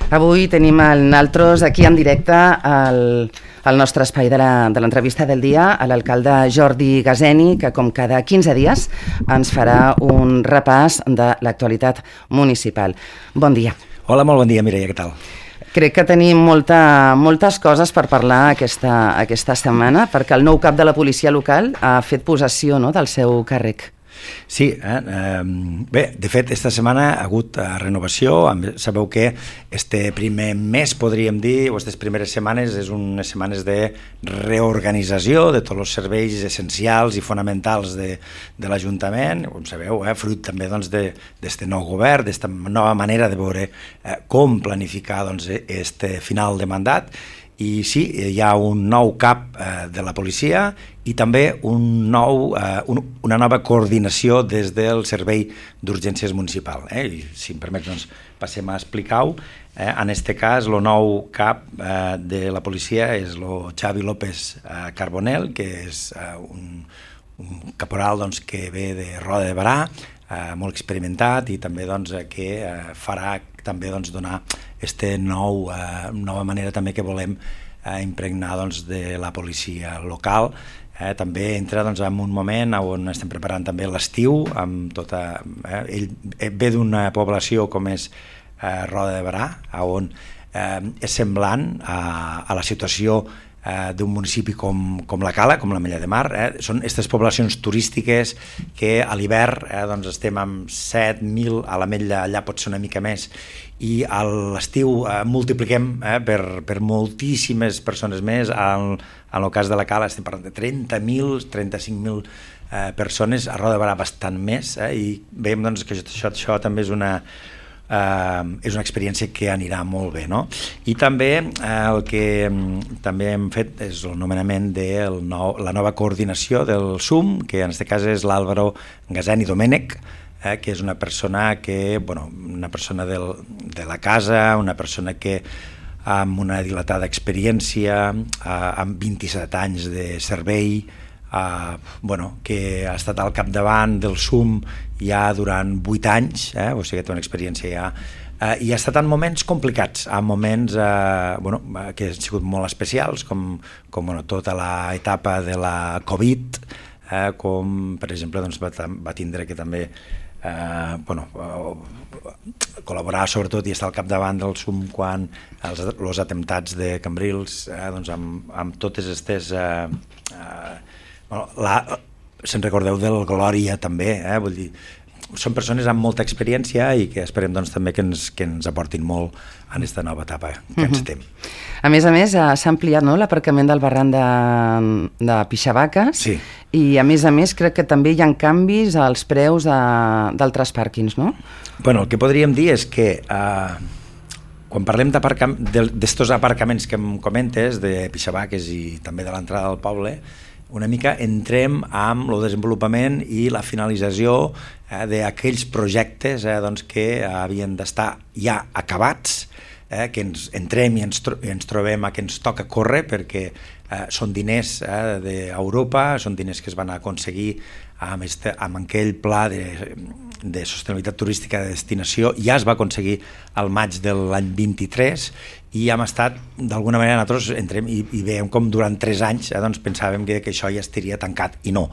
Avui tenim naltros aquí en directe al nostre espai de l'entrevista del dia a l'alcalde Jordi Gaseni, que com cada 15 dies ens farà un repàs de l'actualitat municipal. Bon dia. Hola, molt bon dia, Mireia, què tal? Crec que tenim moltes coses per parlar aquesta setmana, perquè el nou cap de la policia local ha fet possessió, no, del seu càrrec. Sí, bé, de fet, esta setmana ha hagut renovació. Sabeu que este primer mes, podríem dir, o aquestes primeres setmanes, és unes setmanes de reorganització de tots els serveis essencials i fonamentals de l'Ajuntament, com sabeu, fruit també d'este nou govern, d'esta nova manera de veure com planificar este final de mandat. I sí, hi ha un nou cap de la policia i també una nova coordinació des del Servei d'Urgències Municipal. I, si em permets, doncs, passem a explicar-ho. En aquest cas, el nou cap de la policia és el Xavi López Carbonell, que és un caporal que ve de Roda de Berà, molt experimentat, i també que farà també donar aquesta nova manera també que volem impregnar de la policia local. També entra en un moment on estem preparant també l'estiu, amb tota... Ell ve d'una població com és Roda de Berà, on és semblant a la situació d'un municipi com la Cala, com l'Ametlla de Mar. Són aquestes poblacions turístiques que a l'hivern estem amb 7.000, a l'Ametlla allà pot ser una mica més, i a l'estiu multipliquem per moltíssimes persones més. En el cas de la Cala estem parlant de 30.000, 35.000 persones, a Roda de Berà bastant més, i veiem que això també és una experiència que anirà molt bé, no? I també el que també hem fet és el nomenament de la nova coordinació del SUM, que en aquest cas és l'Àlvaro Gaseni Domènech, que és una persona de la casa, una persona que amb una dilatada experiència, amb 27 anys de servei, que ha estat al capdavant del SUM ja durant 8 anys, o sigui que té una experiència ja, i ha estat en moments complicats, en moments que han sigut molt especials, com tota l'etapa de la Covid, com per exemple va tindre que també col·laborar sobretot i estar al capdavant del SUM quan els atemptats de Cambrils, amb totes aquestes... se'n recordeu del Glòria també, vull dir, són persones amb molta experiència i que esperem també que ens aportin molt en aquesta nova etapa que ens estem. A més, s'ha ampliat l'aparcament del barranc de Pixavaques, sí. I a més crec que també hi ha canvis als preus d'altres pàrquings, no? Bueno, el que podríem dir és que quan parlem d'estos aparcaments que em comentes, de Pixavaques i també de l'entrada del poble, una mica entrem amb el desenvolupament i la finalització d'aquells projectes que havien d'estar ja acabats, que ens entrem i ens trobem que ens toca córrer, perquè són diners d'Europa, són diners que es van aconseguir amb aquell pla de sostenibilitat turística de destinació. Ja es va aconseguir al maig de l'any 23 i hem estat, d'alguna manera, nosaltres entrem i veiem com durant 3 anys pensàvem que això ja estaria tancat, i no.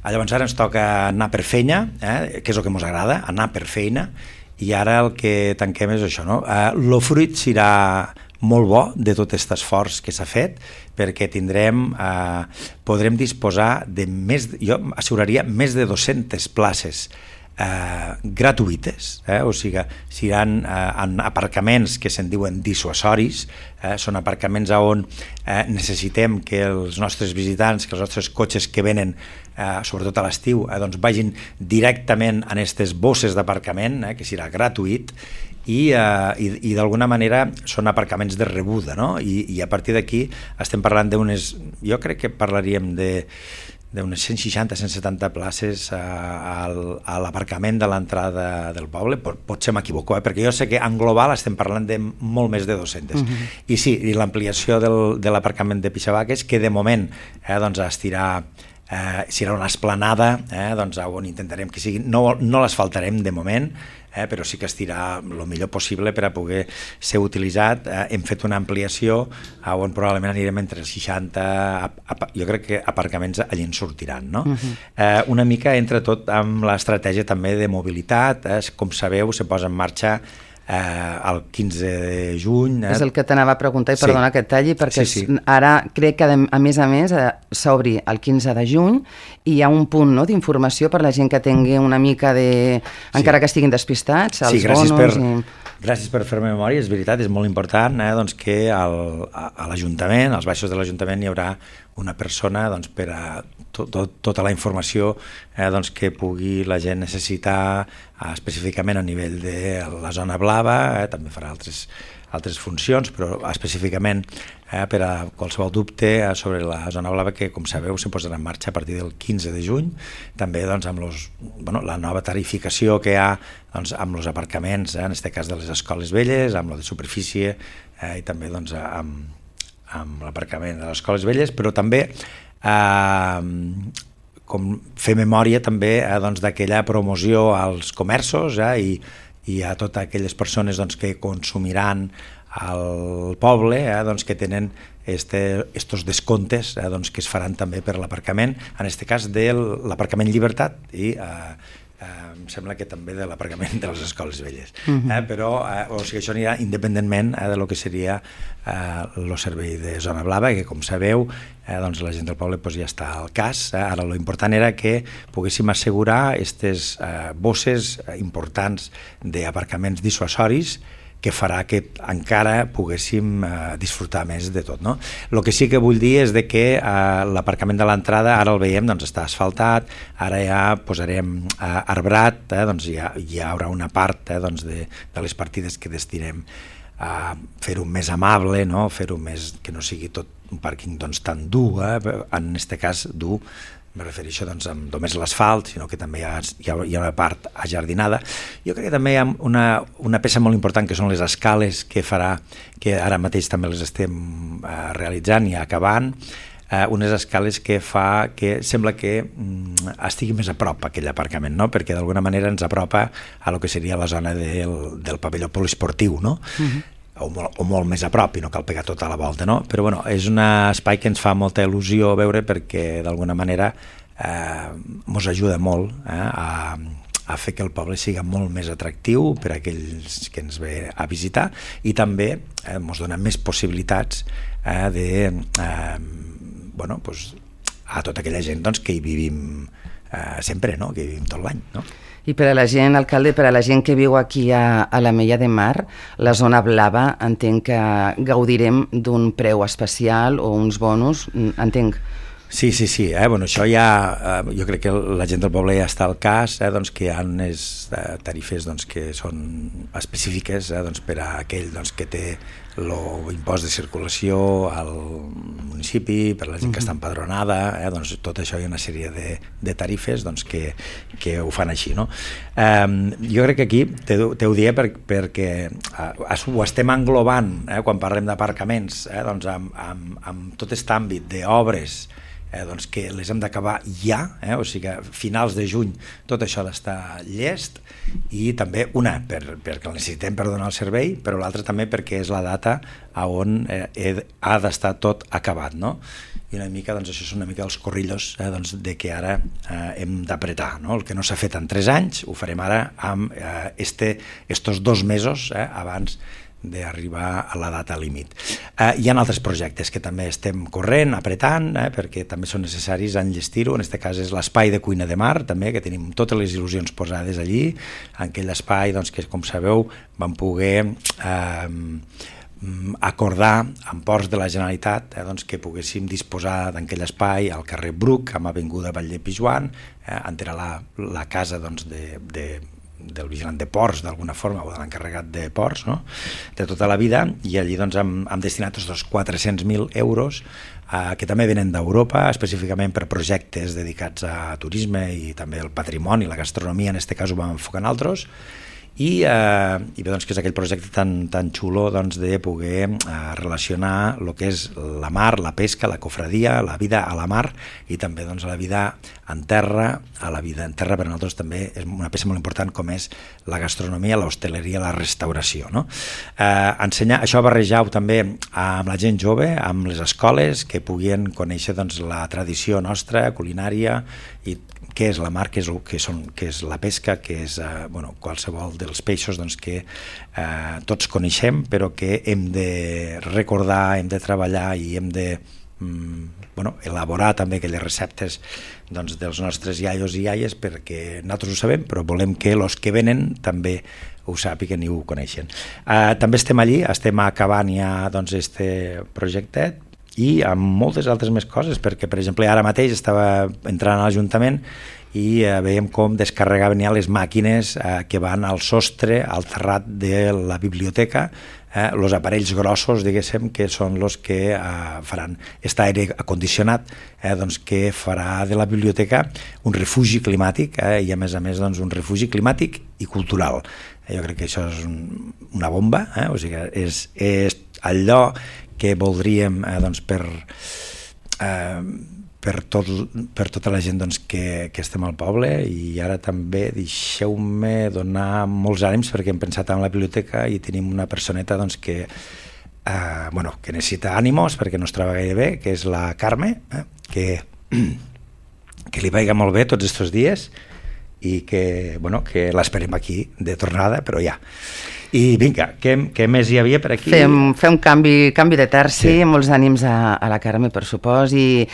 Llavors ara ens toca anar per feina, que és el que ens agrada, anar per feina, i ara el que tanquem és això, no? El fruit serà molt bo de tot aquest esforç que s'ha fet, perquè podrem disposar de jo asseguraria més de 200 places gratuïtes, o sigui, seran en aparcaments que se'n diuen dissuasoris, són aparcaments on necessitem que els nostres visitants, que els nostres cotxes que venen, sobretot a l'estiu, vagin directament en aquestes bosses d'aparcament, que serà gratuït, i d'alguna manera són aparcaments de rebuda, no? I a partir d'aquí estem parlant jo crec que parlaríem d'unes 160-170 places a l'aparcament de l'entrada del poble. Potser m'equivoco, perquè jo sé que en global estem parlant de molt més de 200. I sí, i l'ampliació de l'aparcament de Pixavaques, que de moment estirà serà una esplanada, doncs on intentarem que sigui, no l'asfaltarem de moment, però sí que estirà el millor possible per a poder ser utilitzat. Hem fet una ampliació on probablement anirem entre 60, jo crec que aparcaments allí en sortiran, no? Una mica entre tot amb l'estratègia també de mobilitat, com sabeu se posa en marxa el 15 de juny. És el que t'anava a preguntar, i perdona que et talli, perquè ara crec que a més s'obri el 15 de juny i hi ha un punt d'informació per la gent que tingui una mica de... encara que estiguin despistats, els bonos... Gràcies per fer-me memòria, és veritat, és molt important doncs que a l'Ajuntament, als baixos de l'Ajuntament, hi haurà una persona doncs, per a tota la informació doncs, que pugui la gent necessitar específicament a nivell de la zona blava, també farà altres funcions, però específicament per a qualsevol dubte sobre la zona blava, que com sabeu se posarà en marxa a partir del 15 de juny, també doncs, amb la nova tarificació que hi ha doncs, amb els aparcaments, en aquest cas de les escoles velles, amb la de superfície i també doncs, amb l'aparcament de les escoles velles, però també com fer memòria també doncs, d'aquella promoció als comerços i a totes aquelles persones doncs, que consumiran al poble, doncs, que tenen estos descomptes doncs, que es faran també per l'aparcament, en aquest cas de l'aparcament Llibertat i em sembla que també de l'aparcament de les escoles velles. Però o sigui, això anirà independentment de lo que seria el servei de zona blava, que com sabeu doncs la gent del poble ja està al cas. Ara l'important era que poguéssim assegurar aquestes bosses importants d'aparcaments dissuasoris que farà que encara poguéssim disfrutar més de tot, no? El que sí que vull dir és que l'aparcament de l'entrada ara el veiem, doncs està asfaltat, ara ja posarem arbrat, doncs hi haurà una part doncs, de les partides que destinem a fer-ho més amable, no? Fer-ho més, que no sigui tot un pàrquing doncs, tan dur, en aquest cas dur, me refereixo doncs, amb només l'asfalt, sinó que també hi ha una part ajardinada. Jo crec que també hi ha una peça molt important que són les escales que farà, que ara mateix també les estem realitzant i acabant, unes escales que fa que sembla que estigui més a prop aquell aparcament, no? Perquè d'alguna manera ens apropa a lo que seria la zona del pavelló poliesportiu, no? O molt més a prop i no cal pegar tota la volta, no? Però bueno, és un espai que ens fa molta il·lusió veure perquè d'alguna manera ens ajuda molt a fer que el poble sigui molt més atractiu per a aquells que ens ve a visitar i també ens dona més possibilitats a tota aquella gent doncs, que hi vivim sempre, no? Que hi vivim tot l'any, no? I per a la gent, alcalde, per a la gent que viu aquí a l'Ametlla de Mar, la zona blava, entenc que gaudirem d'un preu especial o uns bonus, entenc. Sí. Bueno, això ja, jo crec que la gent del poble ja està al cas, doncs, que hi ha unes tarifes doncs, que són específiques doncs, per a aquell doncs, que té l'impost de circulació al municipi, per a la gent que està empadronada, doncs, tot això hi ha una sèrie de tarifes doncs, que ho fan així. No? Jo crec que aquí te ho diré perquè ho estem englobant quan parlem d'aparcaments doncs, amb tot aquest àmbit d'obres doncs que les hem d'acabar ja, o sigui que a finals de juny tot això ha d'estar llest i també una perquè el necessitem per donar el servei, però l'altra també perquè és la data on ha d'estar tot acabat, no? I una mica, doncs això és una mica els corrillos doncs, de que ara hem d'apretar, no? El que no s'ha fet en 3 anys ho farem ara amb estos 2 mesos abans d'arribar a la data límit. Hi ha altres projectes que també estem corrent, apretant, perquè també són necessaris enllestir-ho. En aquest cas és l'espai de cuina de mar, també, que tenim totes les il·lusions posades allí, en aquell espai doncs, que, com sabeu, vam poder acordar amb Ports de la Generalitat doncs, que poguéssim disposar d'aquell espai al carrer Bruc, amb avinguda Batlle Pijoan, on era la casa doncs, del vigilant de ports d'alguna forma o de l'encarregat de ports, no? De tota la vida, i allí doncs, hem destinat els 400.000 euros que també venen d'Europa, específicament per projectes dedicats a turisme i també al patrimoni, la gastronomia, en aquest cas ho vam enfocar en altres, i bé, doncs, que és aquell projecte tan xulo doncs, de poder relacionar el que és la mar, la pesca, la cofradia, la vida a la mar i també doncs, la vida en terra. A la vida en terra per a nosaltres també és una peça molt important com és la gastronomia, l'hostaleria, la restauració. No? Ensenyar, això barrejar-ho també amb la gent jove, amb les escoles, que puguin conèixer doncs, la tradició nostra, culinària, i què és la mar, què és la pesca, què és qualsevol dels peixos doncs, que tots coneixem, però que hem de recordar, hem de treballar i hem de elaborar també aquelles receptes doncs, dels nostres iaios i iaies, perquè nosaltres ho sabem, però volem que els que venen també ho sàpiguen i ho coneixen. També estem allí, estem acabant ja doncs, este projectet, i amb moltes altres més coses, perquè per exemple ara mateix estava entrant a l'Ajuntament i veiem com descarregaven ja les màquines que van al sostre, al terrat de la biblioteca, els aparells grossos, diguéssim, que són els que faran aquest aire acondicionat, doncs, que farà de la biblioteca un refugi climàtic i a més doncs, un refugi climàtic i cultural. Jo crec que això és una bomba, o sigui, és allò que voldríem doncs, per tota la gent doncs, que estem al poble. I ara també deixeu-me donar molts ànims perquè hem pensat en la biblioteca i tenim una personeta doncs, que necessita ànimos perquè no es troba gaire bé, que és la Carme, que li vagi molt bé tots aquests dies i que l'esperem aquí de tornada, però ja. I vinga, què més hi havia per aquí? Fem un canvi de terci, sí. Molts ànims a la Carme, per supòs, i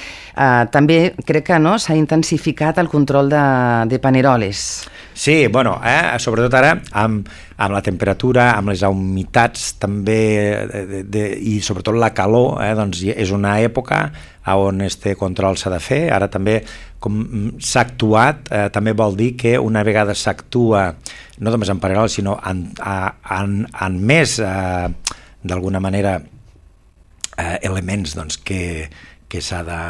també crec que s'ha intensificat el control de paneroles. Sí, sobretot ara amb la temperatura, amb les humitats també i sobretot la calor, doncs és una època on este control s'ha de fer. Ara també com s'ha actuat, també vol dir que una vegada s'actua no només en paneroles sinó en més d'alguna manera elements doncs, que s'ha de...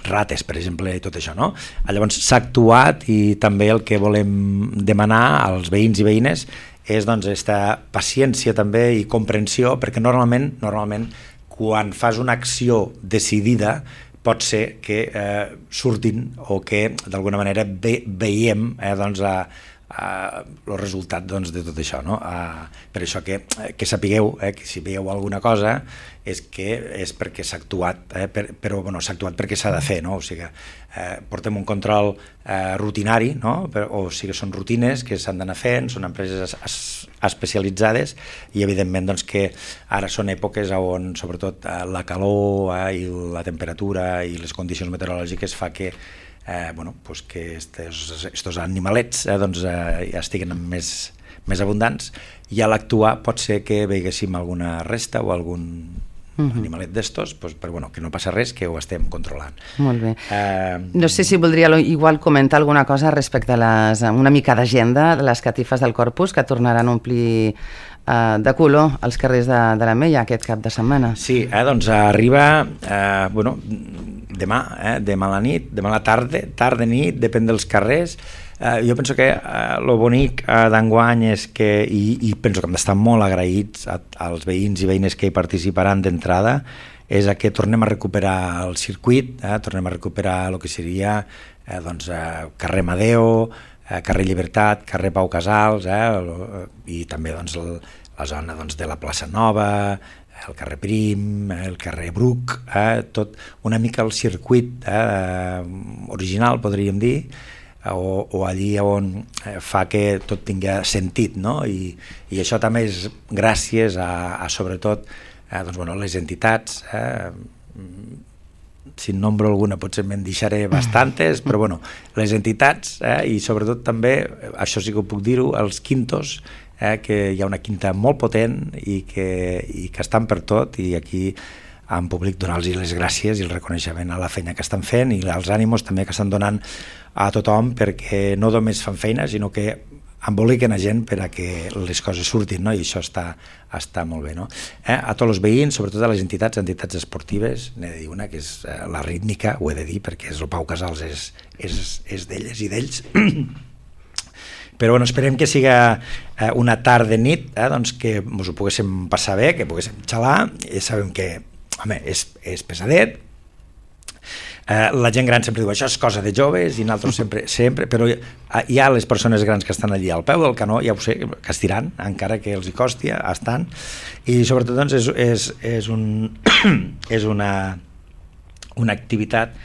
rates, per exemple, i tot això, no? Llavors s'ha actuat i també el que volem demanar als veïns i veïnes és doncs aquesta paciència també i comprensió, perquè normalment quan fas una acció decidida pot ser que surtin o que d'alguna manera veiem doncs el resultat doncs, de tot això, no? Per això que sapigueu que si veieu alguna cosa és perquè s'ha actuat, però s'ha actuat perquè s'ha de fer, no? O sigui, portem un control rutinari, no? O sigui, són rutines que s'han d'anar fent, són empreses especialitzades i evidentment doncs, que ara són èpoques on sobretot la calor i la temperatura i les condicions meteorològiques fa que que estos animalets ja estiguen més abundants, i a l'actuar pot ser que veiguéssim alguna resta o algun animalet d'estos, però que no passa res, que ho estem controlant. Molt bé. No sé si voldria igual comentar alguna cosa respecte a una mica d'agenda de les catifes del Corpus, que tornaran a omplir de color als carrers de la Mella aquest cap de setmana. Sí, doncs arriba demà a la nit, demà a la tarda, nit, depèn dels carrers. Jo penso que el bonic d'enguany és que, i penso que hem d'estar molt agraïts als veïns i veïnes que hi participaran d'entrada, és que tornem a recuperar el circuit, tornem a recuperar el que seria carrer Amadeo, carrer Llibertat, carrer Pau Casals, i també la zona de la plaça Nova, el carrer Prim, el carrer Bruc, tot una mica el circuit original, podríem dir, o allí on fa que tot tingui sentit, no? I això també és gràcies a sobretot les entitats, si en nombro alguna potser me'n deixaré bastantes, però les entitats i sobretot també, això sí que ho puc dir-ho, els quintos, que hi ha una quinta molt potent i que estan per tot, i aquí en públic donar-los les gràcies i el reconeixement a la feina que estan fent i els ànimos també que estan donant a tothom, perquè no només fan feina sinó que emboliquen a gent per a que les coses surtin, no? I això està molt bé, no? A tots els veïns, sobretot a les entitats esportives, n'he de dir una que és la rítmica, ho he de dir perquè el Pau Casals és d'elles i d'ells, Però bueno, esperem que siga una tarda nit, doncs que ens ho poguéssim passar bé, que poguéssim xalar, i sabem que, home, és pesadet. La gent gran sempre diu això és cosa de joves i nosaltres sempre, però hi ha les persones grans que estan allí al peu del canó, ja ho sé, que estiran, encara que els hi costi, estan, i sobretot doncs és una activitat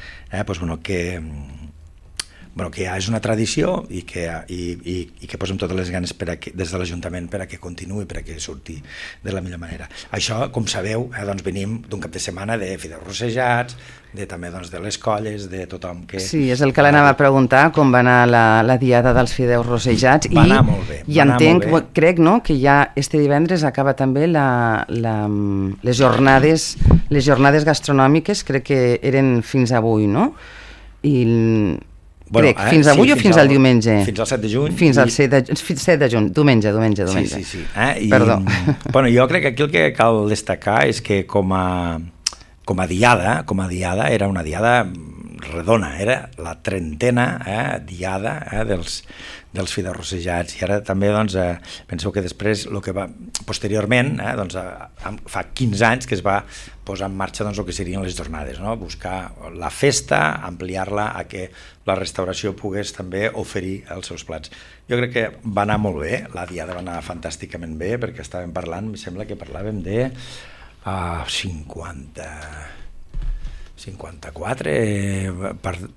que ja és una tradició i que posem totes les ganes des de l'Ajuntament per a que continuï, per a que surti de la millor manera. Això, com sabeu, doncs venim d'un cap de setmana de fideus rossejats, també de les colles, de tothom que... Sí, és el que l'anava a preguntar, com va anar la diada dels fideus rossejats. Va anar molt bé. I entenc, crec, no?, que ja este divendres acaba també les jornades gastronòmiques, crec que eren fins avui, no? Fins avui o fins al diumenge? Fins al 7 de juny. Fins al 7 de juny, diumenge. Sí. Perdó. Jo crec que aquí el que cal destacar és que com a diada era una diada redona, era la 30a diada dels fideus rossejats, i ara també penseu que després posteriorment fa 15 anys que es va posar en marxa el que serien les jornades, buscar la festa, ampliar-la a que la restauració pogués també oferir els seus plats. Jo crec que va anar molt bé, la diada va anar fantàsticament bé, perquè estàvem parlant, em sembla que parlàvem de 54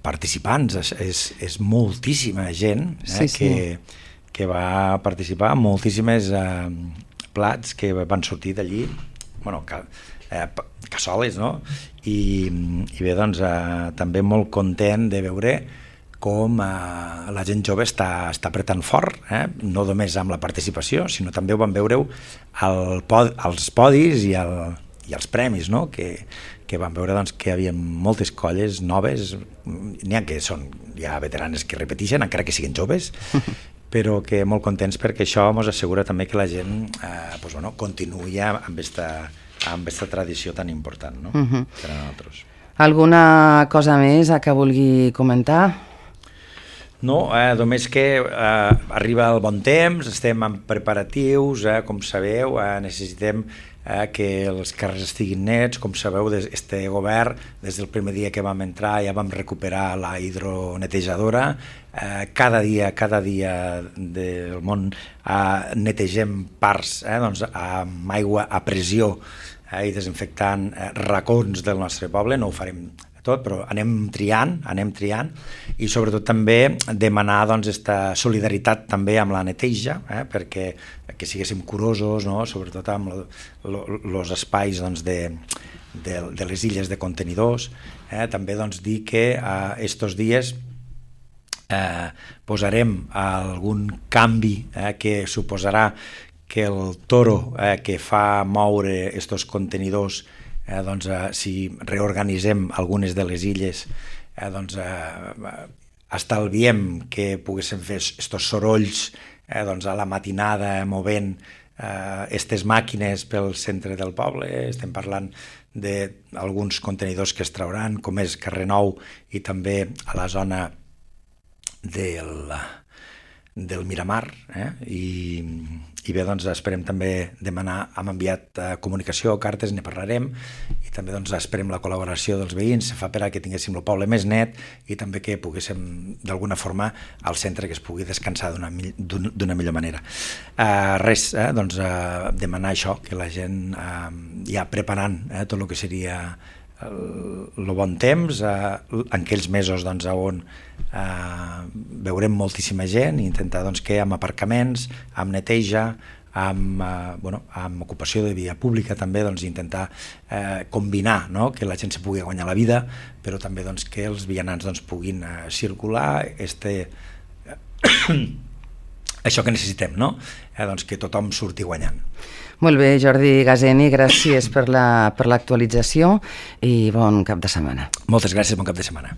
participants, és moltíssima gent que va participar, moltíssimes plats que van sortir d'allí, cassoles, no? I bé, doncs també molt content de veure com la gent jove està apretant fort, no només amb la participació, sinó també ho van veure als podis i als premis, no? Que van veure que hi havia moltes colles noves, n'hi ha que són ja veteranes que repeteixen, encara que siguin joves, però que molt contents perquè això ens assegura també que la gent continuï amb aquesta tradició tan important, no? Per a nosaltres. Alguna cosa més que vulgui comentar? No, només que arriba el bon temps, estem en preparatius, com sabeu, necessitem que els carrers estiguin nets. Com sabeu, este govern, des del primer dia que vam entrar, ja vam recuperar la hidronetejadora. Cada dia del món netegem parts amb aigua a pressió i desinfectant racons del nostre poble. No ho farem tot, però anem triant, i sobretot també demanar aquesta solidaritat també amb la neteja, perquè que siguéssim curosos, sobretot amb els espais de les illes de contenidors. També dir que estos dies posarem algun canvi que suposarà que el toro que fa moure estos contenidors, si reorganitzem algunes de les illes, estalviem que poguéssim fer estos sorolls a la matinada movent aquestes màquines pel centre del poble. Estem parlant d'alguns contenidors que es trauran, com és Carrer Nou i també a la zona del Miramar, i bé, esperem també demanar, hem enviat comunicació, cartes, ne parlarem, i també esperem la col·laboració dels veïns, fa per a que tinguéssim el poble més net i també que poguéssim d'alguna forma al centre que es pugui descansar d'una millor manera. Demanar això, que la gent ja preparant tot el que seria el bon temps, en aquells mesos on veurem moltíssima gent, i intentar que amb aparcaments, amb neteja, amb ocupació de via pública també, intentar combinar, que la gent se pugui guanyar la vida, però també que els vianants puguin circular, això que necessitem, que tothom surti guanyant. Molt bé, Jordi Gazeni, gràcies per l'actualització i bon cap de setmana. Moltes gràcies, bon cap de setmana.